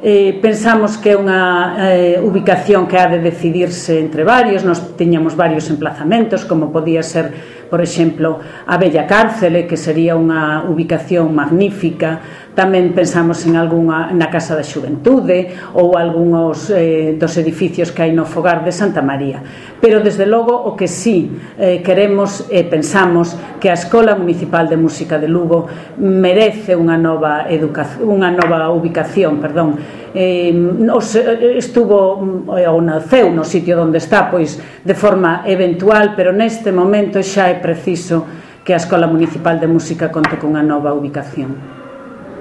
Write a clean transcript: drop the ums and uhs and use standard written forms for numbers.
Pensamos que é unha ubicación que ha de decidirse entre varios. Nos tiñamos varios emplazamentos, como podía ser, por exemplo, a Bella Cárcele, que sería unha ubicación magnífica. Tamén pensamos en algunha na Casa da Xuventude ou algúns dos edificios que hai no Fogar de Santa María. Pero, desde logo, o que sí queremos e pensamos que a Escola Municipal de Música de Lugo merece unha nova ubicación, estuvo ou naceu no sitio onde está, pois de forma eventual, pero neste momento xa é preciso que a Escola Municipal de Música conte cunha nova ubicación.